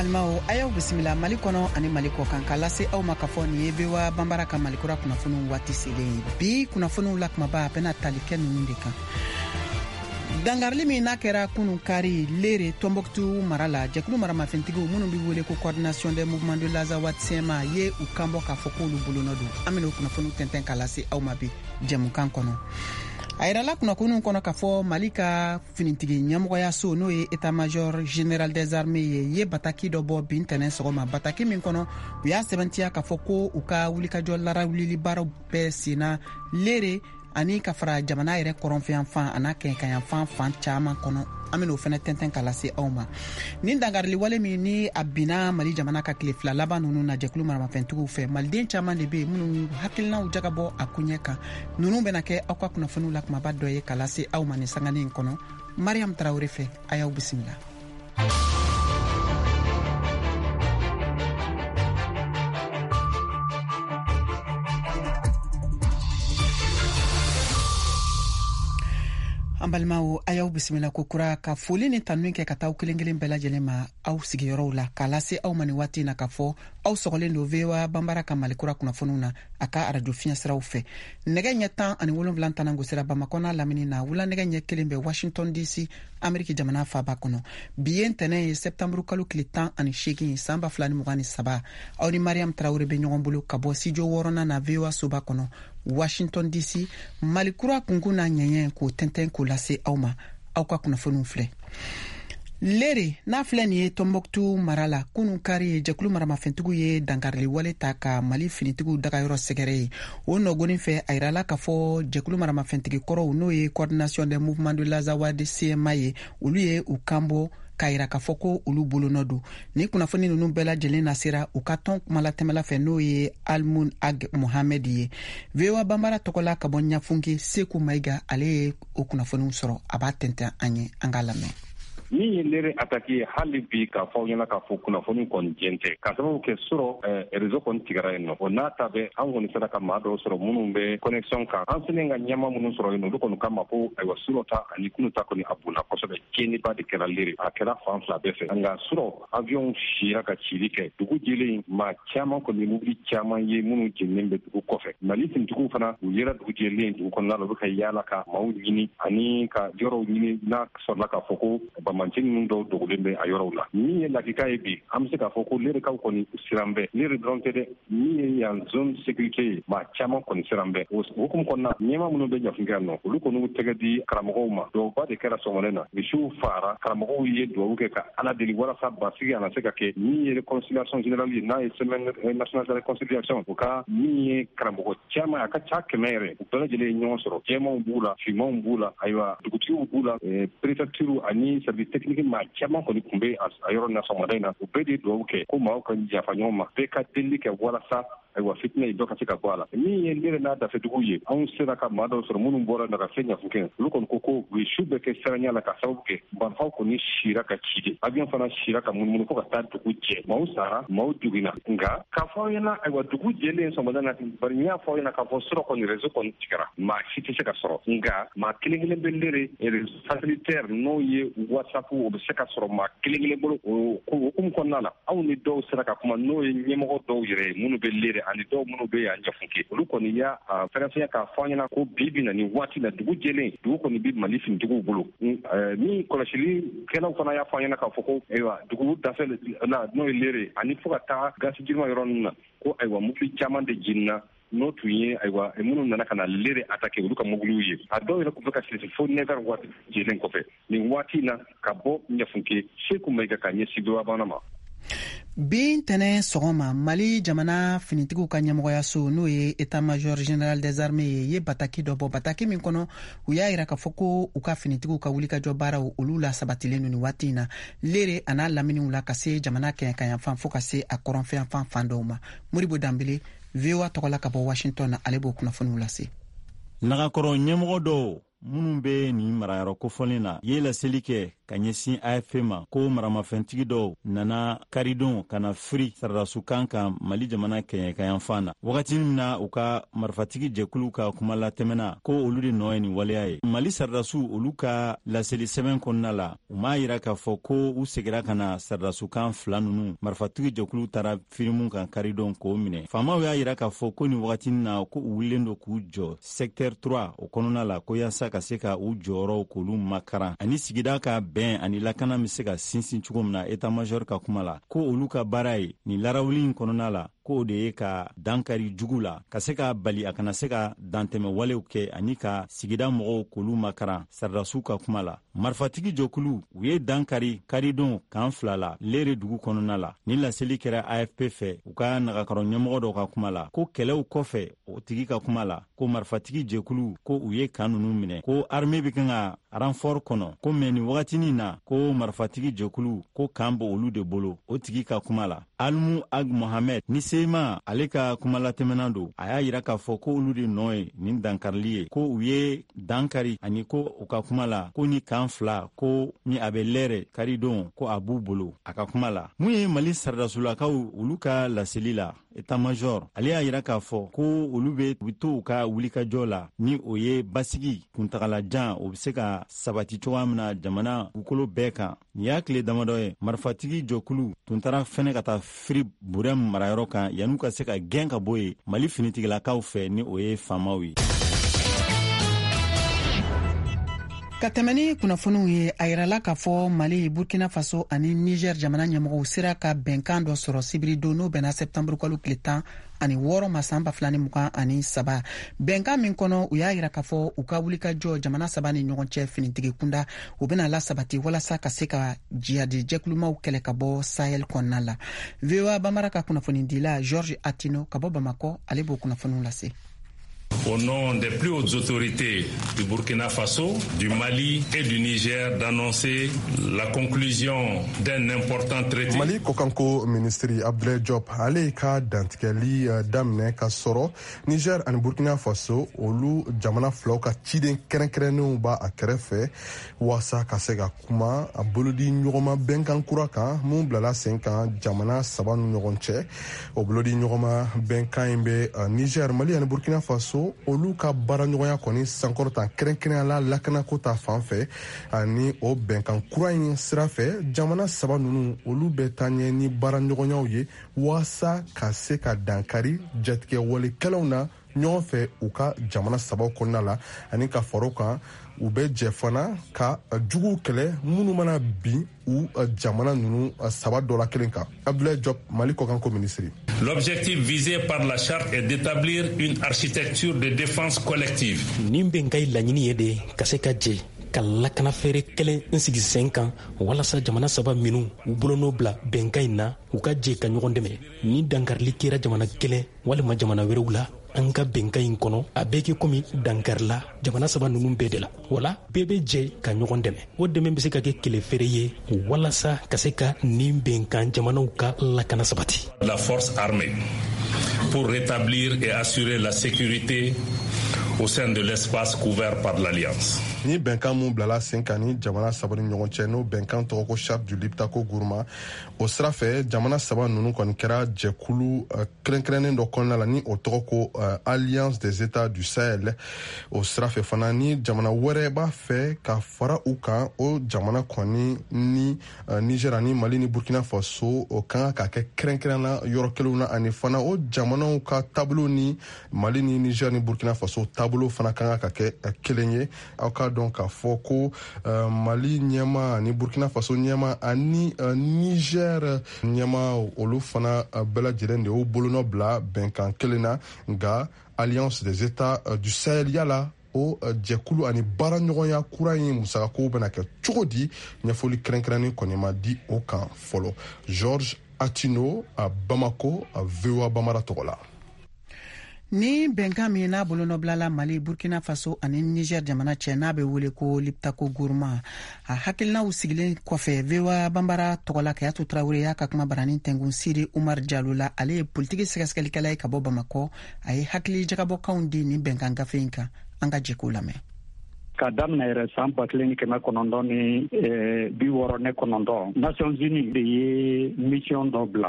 Balimaw, a y'aw bisimila Mali kɔnɔ ani Mali kɔ kan, k'a lase aw ma k'a fɔ nin ye VOA Banbara ka Malikura kunnafoniw waati selen ye. Bi kunnafoniw la kumaba, a bɛna tali kɛ ninnu de kan: dangarili min n'a kɛra kunun kari Lere, Tɔnbɔkutu mara la, jɛkulu maramafɛntigiw minnu bɛ wele ko Coordination des mouvements de l'Azawad CMA ye u kanbɔ k'a fɔ k'olu bolonɔ don. An bɛna o kunnafoniw tɛntɛn k'a lase aw ma bi jɛmukan kɔnɔ. A yirala kunnafoniw kɔnɔ k'a fɔ Mali ka finitigi ɲɛmɔgɔyaso, n'o ye état major général des armées ye, ye bataki dɔ bɔ bi ntɛnɛn sɔgɔma, bataki min kɔnɔ u y'a sɛbɛntiya k'a fɔ ko u ka wulikajɔ larawulili baaraw bɛɛ senna Lere ani ka fara jamana yɛrɛ kɔrɔnfɛyanfan an'a kɛɲɛkayanfan fan caman kɔnɔ. An bɛn'o fɛnɛ tɛntɛn ka lase aw ma. Nin dangarili wale min ni a binna Mali jamana ka tile 2 laban ninnu na jɛkulu maramafɛntigiw fɛ, maliden caman de bɛ yen minnu hakilinaw jagabɔ a koɲɛ kan. Ninnu bɛna kɛ aw ka kunnafoniw la kumaba dɔ ye ka lase aw ma nin sanganin in kɔnɔ Mariam Tarawele fɛ. A y'aw bisimila. An balimaw, a y'aw bisimila ko kura, ka foli ni tanu kɛ ka taa aw kelen kelen bɛɛ lajɛlen ma aw sigiyɔrɔw la, k'a lase aw ma nin waati na k'a fɔ aw sɔgɔlen don VOA Banbara ka Malikura kunnafoniw na a ka arajo fiɲɛsiraw fɛ. Nɛgɛ ɲɛ 17 tanan gosira Bamakɔ n'a lamini na, wula nɛgɛ ɲɛ 1 bɛ Washington DC, Ameriki jamana faba kɔnɔ. Bi ye ntɛnɛn ye, sɛptanburu kalo tile 18, san 2023. Aw ni Mariam Tarawele bɛ ɲɔgɔn bolo ka bɔ studio wɔɔrɔnan na VOA soba kɔnɔ, Washington DC. Malikura kunkun n'a ɲɛɲɛ, k'o tɛntɛn k'o lase aw ma. Aw ka kunnafoniw filɛ. Lere n'a filɛ nin ye Tɔnbɔkutu mara la, kunun kari, jɛkulu maramafɛntigiw ye dankarili wale ta ka Mali finitigiw dagayɔrɔ sɛgɛrɛ ye. O nɔgɔnin fɛ, a yirala k'a fɔ jɛkulu maramafɛntigi kɔrɔw, n'o ye Coordination des mouvements de l'Azawad CMA ye, olu ye u kanbɔ k'a yira k'a fɔ ko olu bolonɔ don. Ni kunnafoni ninnu bɛɛ lajɛlen nasera u ka tɔn kumalatɛmɛla fɛ, n'o ye Almun Ag Mohamed ye. VOA Banbara tɔgɔla ka bɔ Ɲafunke, Seku Mayiga, ale ye o kunnafoniw sɔrɔ, a b'a tɛntɛn an ye, an k'a lamɛn. Min ye Lere attaque ye, hali bi k'a fɔ aw ɲɛna k'a fɔ kunnafoni kɔni jɛn tɛ, ka sababu kɛ surɔ réseau kɔni tigɛra yen nɔ. O n'a ta bɛɛ, an kɔni sera ka maa dɔw sɔrɔ minnu bɛ connexion kan. An selen ka ɲɛma minnu sɔrɔ yen, olu kɔni kama ko ayiwa, surɔ ta ani kunu ta kɔni, a bonna kosɛbɛ. Tiɲɛniba de kɛra Lere, a kɛra fan fila bɛɛ fɛ. Nka surɔ, avion sira ka cili kɛ dugu jɛlen. Maa caman kɔni, mobili caman ye minnu jeninen bɛ dugu kɔfɛ. Mali finitigiw fana, u yera dugu jɛlen dugu kɔnɔna la, u bɛ ka yaala ka maaw ɲini ani ka yɔrɔw ɲini n'a sɔrɔla k'a fɔ ko banbanci ninnu dɔw dogolen bɛ a yɔrɔw la. Min ye lakika ye bi, an bɛ se k'a fɔ ko Lerekaw kɔni siran bɛ. Lere dɔrɔn tɛ dɛ, min ye yan zone sécurité ye, maa caman kɔni siran bɛ. O hukumu kɔnɔna, ɲɛma minnu bɛ Ɲafunke yan nɔ, olu kɔni y'u tɛgɛ di karamɔgɔw ma. Duwawuba de kɛra sɔgɔmada na, misiw faara, karamɔgɔw ye duwawu kɛ ka Ala deli walasa basigi a na se ka kɛ. Min ye réconciliation générale ye, n'a ye semaine nationale de réconciliation, o ka min ye karamɔgɔ caman, a ka ca 100 yɛrɛ, u bɛɛ lajɛlen ye ɲɔgɔn sɔrɔ. Jɛmanw b'u la, finmanw b'u la, ayiwa, dugutigiw b'u la, préfecture ani service technique, maa caman kɔni tun bɛ a yɔrɔ na sɔgɔmada in na. U bɛɛ de ye duwawu kɛ ko maaw ka yafa ɲɔgɔn ma, bɛɛ ka delili kɛ walasa ayiwa, fitinɛ ye dɔ ka se ka bɔ a la. Min ye Lere n'a dafɛduguw ye, anw sera ka maa dɔw sɔrɔ minnu bɔra na ka se Ɲafunke. Olu kɔni ko ko u ye su bɛɛ kɛ siranya la, ka sababu kɛ marifaw kɔni sira ka ci de, avion fana sira ka munumunu fo ka taa dugu jɛ. Maaw sara, maaw joginna. Nka k'a fɔ aw ɲɛna, ayiwa, dugu jɛlen sɔgɔmada na, bari n y'a fɔ aw ɲɛna k'a fɔ surɔ kɔni réseau kɔni tigɛra, maa si tɛ se ka sɔrɔ. Nka maa kelen kelen bɛ Lere, réseau satellitaire, n'o ye WhatsApp, o bɛ se ka sɔrɔ maa kelen kelen bolo. O hukumu kɔnɔna la, anw ni dɔw sera ka kuma, n'o ye ɲɛmɔgɔ dɔw yɛrɛ ye minnu bɛ Lere ani dɔw minnu bɛ yan Ɲafunke. Olu kɔni y'a fɛrɛfɛnya k'a fɔ an ɲɛna ko bi bi na, nin waati la, dugu jɛlen, dugu kɔni bɛ Mali finitigiw bolo. Min kɔlɔsilikɛlaw fana y'a fɔ an ɲɛna k'a fɔ ko ayiwa, dugu dafɛ la, n'o ye Lere ani fo ka taa gasi jirima yɔrɔ ninnu na, ko ayiwa, mobili caman de jenina, n'o tun ye ayiwa, minnu nana ka na Lere attaquer, olu ka mobiliw ye. A dɔw yɛrɛ tun bɛ ka sisi fo 9 heures waati jɛlen kɔfɛ. Nin waati na, ka bɔ Ɲafunke, Seku Mayiga ka ɲɛsin VOA Bambara ma. Bi ntɛnɛn sɔgɔma, Mali jamana finitigiw ka ɲɛmɔgɔyaso, n'o ye état major général des armées ye, ye bataki dɔ bɔ, bataki min kɔnɔ u y'a yira k'a fɔ ko u ka finitigiw ka wulikajɔ baaraw, olu la sabatilen don nin waati in na Lere a n'a laminiw la, ka se jamana kɛɲɛkayanfan fo ka se a kɔrɔnfɛyanfan fan dɔw ma. Modibo Danbele, VOA tɔgɔ la ka bɔ Washington na, ale b'o kunnafoniw lase. Nagakɔrɔ ɲɛmɔgɔ dɔw. Minnu bɛ nin marayɔrɔ kofɔlen na ye laseli kɛ ka ɲɛsin AFP ma ko maramafɛntigi dɔw nana karidon ka na firi saradasukan kan Mali jamana kɛɲɛkayanfan na, wagati min na u ka marifatigi jɛkulu ka kumalatɛmɛna ko olu de nɔ ye nin waleya ye. Mali saradasiw, olu ka laseli sɛbɛn kɔnɔna la, u m'a yira k'a fɔ ko u segira ka na saradasukan fila ninnu marifatigi jɛkulu taara firi mun kan karidon k'o minɛ. Faamaw y'a yira k'a fɔ ko nin wagatinin na, ko u wulilen don k'u jɔ secteur 3 o kɔnɔna la, ko yaasa ka se ka u jɔyɔrɔw k'olu makaran ani sigida ka bɛn ani lakana bɛ se ka sinsin cogo min na. État major ka kuma la, ko olu ka baara ye nin larawuli in kɔnɔna la, ko o de ye ka dankari jugu la, ka se ka bali a kana se ka dantɛmɛ walew kɛ ani ka sigida mɔgɔw k'olu makaran. Saradasiw ka kuma la, marifatigi jɔkulu u ye dankari karidon kan fila la Lere dugu kɔnɔna la. Ni laseli kɛra AFP fɛ, u ka nagakɔrɔ ɲɛmɔgɔ dɔ ka kuma la, ko kɛlɛw kɔfɛ, o tigi ka kuma la, ko marifatigi jɛkulu ko u ye kan nunu minɛ, ko armée bɛ kan ka renfort kɔnɔ, ko mais nin wagatinin na, ko marifatigi jɛkulu ko kan b'o olu de bolo. O tigi ka kuma la, Almu Ag Mohamed ni CMA ale ka kumalatɛmɛna don, a y'a yira k'a fɔ ko olu de nɔ ye nin dankarili ye, ko u ye dankari ani ko u ka kuma la, ko ni kan fila ko ni a bɛ Lɛrɛ karidon, ko a b'u bolo. A ka kuma la, mun ye Mali saraдаsulakaw olu ka laseli la, état major ale y'a yira k'a fɔ ko olu bɛ u to u ka wulikajɔ la, ni o ye basigi kuntagalajan o bɛ se ka sabati cogoya min na jamana dugukolo bɛɛ kan. Nin y'a tile damadɔ ye marifatigi jɔkulu tun taara fɛnɛ ka taa firi Burɛm marayɔrɔ kan yan'u ka se ka gɛn ka bɔ yen Mali finitigilakaw fɛ, ni o ye faamaw ye. Ka tɛmɛ ni kunnafoniw ye, a yirala k'a fɔ Mali, Burkina Faso ani Niger jamana ɲɛmɔgɔw sera ka bɛnkan dɔ sɔrɔ sibiridon, n'o bɛnna sɛptanburu kalo tile 16 ma san 2023. Bɛnkan min kɔnɔ, u y'a yira k'a fɔ u ka wulikajɔ jamana saba ni ɲɔgɔn cɛ finitigi kunda, u bɛna lasabati walasa ka se ka jihadi jɛkulumaw kɛlɛ ka bɔ Sahel kɔnɔna la. VOA Bambara ka kunnafonidila George Atino ka bɔ Bamakɔ, ale b'o kunnafoniw lase. Au nom des plus hautes autorités du Burkina Faso, du Mali et du Niger, d'annoncer la conclusion d'un important traité. Mali kɔkanko minisiri Abdoulaye Diop, ale ka dantigɛli daminɛ ka sɔrɔ Niger ani Burkina Faso, olu jamana filaw ka ciden kɛrɛnkɛrɛnnenw b'a a kɛrɛfɛ waasa ka se ka kuma a bolodi ɲɔgɔnma bɛnkan kura kan mun bilala sen kan jamana saba ni ɲɔgɔn cɛ. O bolodi ɲɔgɔnma bɛnkan in bɛ Niger, Mali ani Burkina Faso, olu ka baaraɲɔgɔnya kɔni sankɔrɔta, kɛrɛnkɛrɛnya la lakanako ta fan fɛ. Ani o bɛnkan kura in sira fɛ, jamana saba ninnu, olu bɛ taa ɲɛ ni baaraɲɔgɔnyaw ye waasa ka se ka dankari jatigɛwalekɛlaw na ɲɔgɔn fɛ u ka jamana sabaw kɔnɔna la, ani ka fara kan, u bɛ jɛ fana ka juguw kɛlɛ minnu mana bin u jamana ninnu saba dɔ la kelen kan. Abdoulaye Diop, Mali kɔkanko minisiri. L'objectif visé par la charte est d'établir une architecture de défense collective. Nin bɛnkan ye laɲini ye de ka se ka jɛ ka lakana fɛɛrɛ kelen n sigi sen kan walasa jamana saba minnu u bolonɔ bila bɛnkan in na, u ka jɛ ka ɲɔgɔn dɛmɛ ni dankarili kɛra jamana kelen walima jamana wɛrɛw la an ka bɛnkan in kɔnɔ. A bɛɛ kɛ komi dankarila jamana saba ninnu bɛɛ de la, wala bɛɛ bɛ jɛ ka ɲɔgɔn dɛmɛ. O dɛmɛ bɛ se ka kɛ kɛlɛ feere ye walasa ka se ka nin bɛnkan jamanaw ka lakana sabati. La force armée pour rétablir et assurer la sécurité au sein de l'espace couvert par l'Alliance. Ni bɛnkan mun bilala sen kan ni jamana saba ni ɲɔgɔn cɛ, n'o bɛnkan tɔgɔ ko Charte du Liptako Gourma, o sira fɛ jamana saba ninnu kɔni kɛra jɛkulu kɛrɛnkɛrɛnnen dɔ kɔnɔna la, ni o tɔgɔ ko Alliance des États du Sahel. O sira fɛ fana, ni jamana wɛrɛ b'a fɛ ka fara u kan, o jamana kɔni ni Niger ani Mali ni Burkina Faso, o kan ka kɛ kɛrɛnkɛrɛnna yɔrɔ kelenw na. Ani fana, o jamanaw ka taabolo ni Mali ni Niger ni Burkina Faso taabolo fana kan ka kɛ kelen ye. Aw ka dɔn k'a fɔ ko Mali ɲɛma ani Burkina Faso ɲɛma ani Niger ɲɛma, olu fana bɛɛ lajɛlen de y'u bolonɔ bila bɛnkan kelen na. Nka Alliance des États du Sahel, yala o jɛkulu ani baaraɲɔgɔnya kura in musakakow bɛna kɛ cogo di? Ɲɛfɔli kɛrɛnkɛrɛnnen kɔni ma di o kan fɔlɔ. George Atino a Bamako, a VOA Bamara tɔgɔ la. Ni bɛnkan min n'a bolonɔbilala Mali, Burkina Faso ani Niger jamana cɛ, n'a bɛ wele ko Liptako Gourma, a hakilinaw sigilen kɔfɛ, VOA Banbara tɔgɔla Kayatu Tarawele y'a ka kuma barani tɛngun Siri Umar Jalo la. Ale ye politiki sɛgɛsɛgɛlikɛla ye ka bɔ Bamakɔ. A ye hakili jagabɔkanw di nin bɛnkan gafe in kan. An ka jɛ k'o lamɛn. Ka daminɛ yɛrɛ san 1969, Nations Unies de ye mission dɔ bila.